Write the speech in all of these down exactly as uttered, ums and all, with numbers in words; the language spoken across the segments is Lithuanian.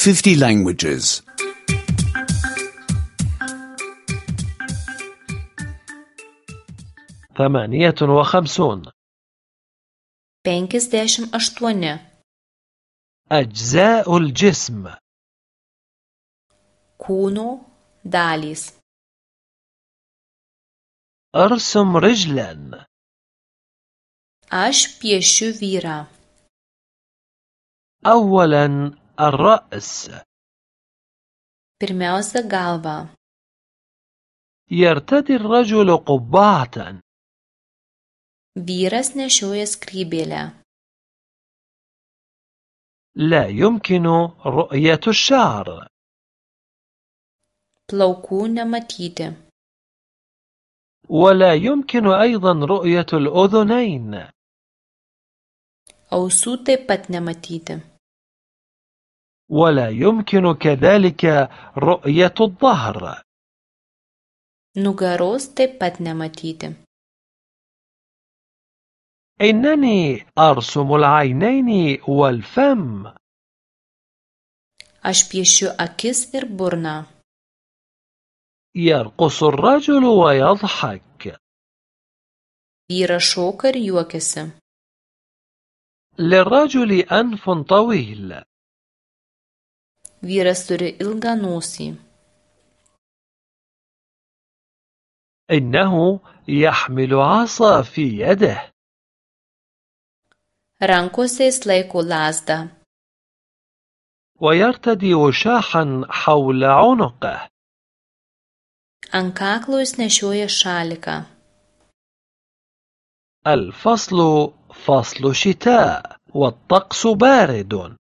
fifty languages. ثمانية وخمسون. penkiasdešimt aštuoni. أجزاء الجسم. kūno dalys. أرسم رجلا. aš piešiu vyrą. أولا الرأس. pirmiausia galva. يرتدي الرجل قبعة. vyras nešioja skrybėlę. لا يمكن رؤية الشعر. plaukų nematyti. ولا يمكن أيضا رؤية الأذنين. ausų taip pat nematyti. ولا يمكن كذلك رؤية الظهر. nugaros taip pat nematyti. إنني أرسم العينين والفم. aš piešiu akis ir burną. يرقص الرجل ويضحك. vyras šoka ir juokiasi. للرجل أنف طويل. vyras turi ilgą nosį. إنه يحمل عصا في يده. rankose jis laiko lazdą. ويرتدي وشاحا حول عنقه. ant kaklo jis nešioja šaliką. الفصل فصل شتاء والطقس بارد.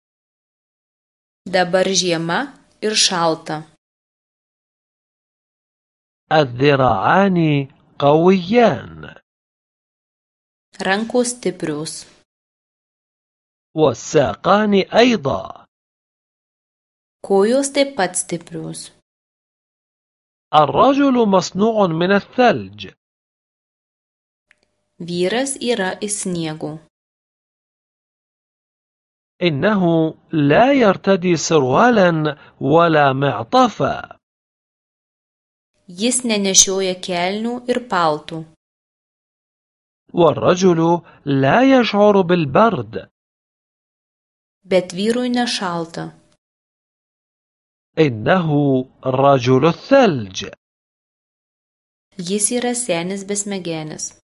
dabar žiema ir šalta. الذراعان قويان. rankos stiprios. والساقان أيضا. kojos taip pat stiprios. الرجل مصنوع من الثلج. vyras yra iš sniego. إنه لا يرتدي سروالا ولا معطفا. jis nenešioja kelnių ir paltų. والرجل لا يشعر بالبرد. bet vyrui nešalta. إنه رجل الثلج. jis yra senis besmegenis.